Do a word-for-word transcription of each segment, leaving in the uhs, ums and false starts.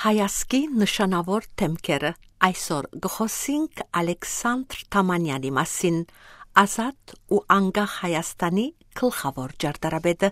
Հայազգի նշանաւոր դէմքերը։ Այսօր կը խօսինք Ալեքսանդր Թամանեանի մասին, ազատ ու անկախ Հայաստանի գլխաւոր ճարտարապետը։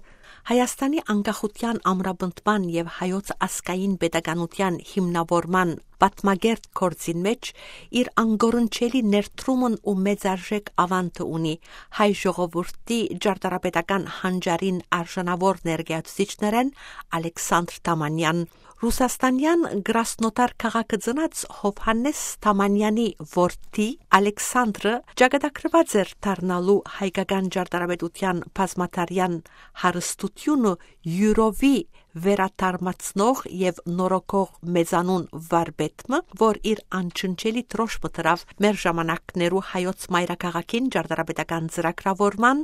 Հայաստանի անկախութեան ամրապնդման եւ հայոց ազգային պետականութեան հիմնաւորման պատմակերտ գործին մէջ իր անկորնչելի ներդրումն ու մեծարժեք աւանդը ունի հայ ժողովուրդի ճարտարապետական հանճարին արժանաւոր ներկայացուցիչներէն Ալեքսանդր Թամանեան։ Ռուսաստանեան Կրասնոդար քաղաքը ծնած Յովհաննէս Թամանեանի որդի Ալեքսանդրը ճակատագրուած էր դառնալու հայկական ճարտարապետութեան բազմատարրեան հարստութիւնը յուրովի վերադարմացնող եւ նորոգող մեծանուն վարպետ մը, որ իր անջնջելի դրոշմը դրաւ մեր ժամանակներու հայոց մայրաքաղաքին ճարտարապետական ծրագրաւորման,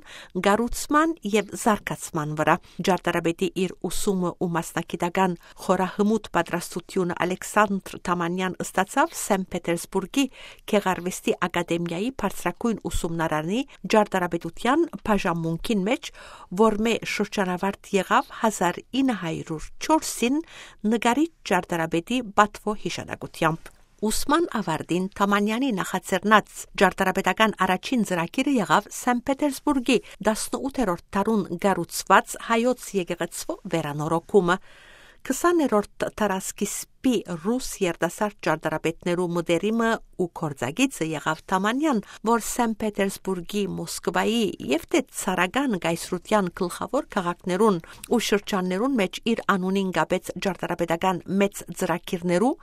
կառուցման եւ զարգացման վրայ։ Ճարտարապետի իր ուսումը ու մասնագիտական խորահմուտ պատրաստութիւնը Ալեքսանդր Թամանեան ստացաւ Սենտ Պետերսբուրգի Գեղարուեստի ակադեմիայի բարձրագոյն ուսումնարանի ճարտարապետութեան բաժանմունքին մէջ, որմէ շրջանաւարտ եղաւ հազար ինը հարիւր չորսին նկարիչ ճարտարապետի պատուոյ յիշատակութեամբ։ Ուսման աւարտին Թամանեանի նախաձեռնած ճարտարապետական առաջին ծրագիրը եղաւ Սենտ Պետերսբուրգի տասնութերորդ դարուն կառուցուած հայոց եկեղեցւոյ վերանորոգումը։ Քսաներորդ դարասկիզբի ռուս երիտասարդ ճարտարապետներու մտերիմը ու գործակիցը եղաւ Թամանեան, որ Սենտ Պետերսբուրգի, Մոսկվայի եւ թէ ցարական կայսրութեան գլխաւոր քաղաքներուն ու շրջաններուն մէջ իր անունին կապեց ճարտարապետական մեծ ծրագիրներու,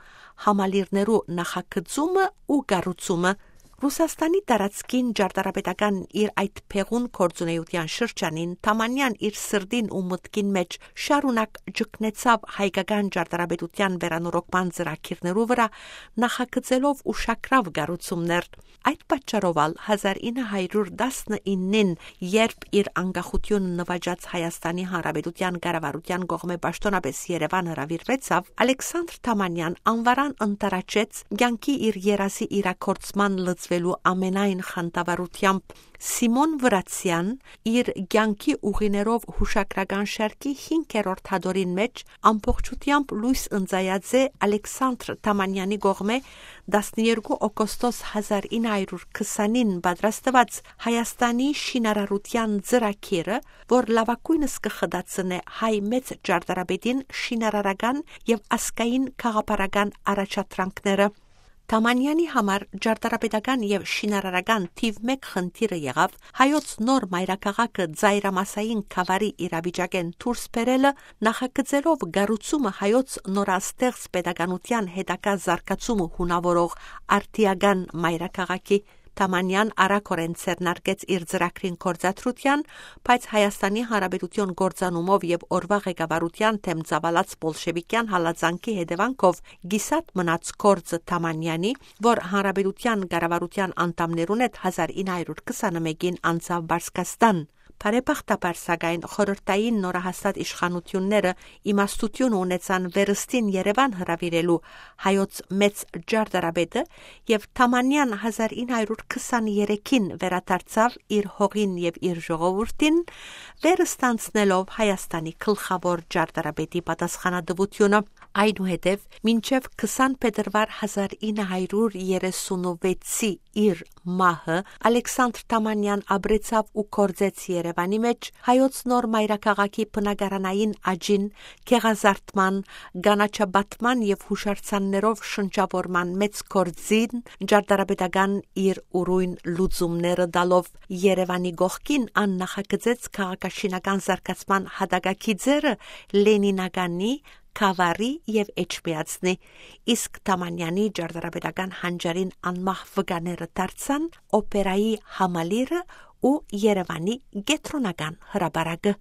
համալիրներու նախագծումը ու կառուցումը։ Ռուսաստանի տարածքին ճարտարապետական իր այդ փեղուն գործունեութեան շրջանին Թամանեան իր սրտին ու մտքին մէջ շարունակ ճգնեցաւ հայկական ճարտարապետութեան վերանորոգման ծրագիրներու վրայ, նախագծելով ուշագրաւ կառուցումներ։ Այդ պատճառով ալ հազար ինը հարիւր տասնիննին, երբ իր անկախութիւնը նուաճած Հայաստանի Հանրապետութեան կառավարութեան կողմէ պաշտօնապէս Երեւան հրաւիրուեցաւ, Ալեքսանդր Թամանեան անվարան ընդառաջեց կեանքի իր երազի իրագործման լծուելու ամենայն խանդավառութեամբ։ Սիմոն Վրացեան իր կեանքի ուղիներով յուշագրական շարքի հինգերորդ հատորին մէջ ամբողջութեամբ լոյս ընծայած է Ալեքսանդր Թամանեանի կողմէ տասներկու օգոստոս հազար ինը հարիւր քսանին պատրաստուած Հայաստանի շինարարութեան ծրագիրը, որ լաւագոյնս կը խտացնէ հայ մեծ ճարտարապետին շինարարական եւ ազգային գաղափարական առաջադրանքները։ Թամանեանի համար ճարտարապետական եւ շինարարական թիւ մէկ խնդիրը եղաւ հայոց նոր մայրաքաղաքը ծայրամասային գաւառի իրավիճակէն դուրս բերելը, նախագծելով կառուցումը հայոց նորաստեղծ պետականութեան հետագայ զարգացումը հունաւորող արդիական մայրաքաղաքի։ Թամանեան արագօրէն ձեռնարկեց իր ծրագրին գործադրութեան, բայց Հայաստանի Հանրապետութիւն կործանումով եւ օրուայ ղեկավարութեան դէմ ծաւալած բոլշեւիկեան հալածանքի հետեւանքով կիսատ մնաց գործը Թամանեանի, որ Հանրապետութեան կառավարութեան անդամներուն հետ հազար ինը հարիւր քսանմէկին անցաւ Պարսկաստան։ Բարեբախտաբար, սակայն, խորհրդային նորահաստատ իշխանութիւնները իմաստութիւնը ունեցան վերստին Երեւան հրաւիրելու հայոց մեծ ճարտարապետը, եւ Թամանեան հազար ինը հարիւր քսաներեքին վերադարձաւ իր հողին եւ իր ժողովուրդին, վերստանցնելով Հայաստանի գլխաւոր ճարտարապետի պատասխանատուութիւնը։ Այնուհետեւ, մինչեւ քսան փետրուար հազար ինը հարիւր երեսունվեցի իր մահը, Ալեքսանդր Թամանեան ապրեցաւ ու գործեց Երեւանի մէջ հայոց նոր մայրաքաղաքի բնակարանային աճին, գեղազարդման, կանաչապատման եւ յուշարձաններով շնչաւորման մեծ գործին ճարտարապետական իր ուրոյն լուծումները տալով։ Երեւանի կողքին ան նախագծեց քաղաքաշինական զարգացման յատակագիծերը Լենինականի, Գաւառի եւ Էջմիածնի, իսկ Թամանեանի ճարտարապետական հանճարին անմահ վկաները դարձան օպերայի համալիրը ու Երեւանի կեդրոնական հրապարակը։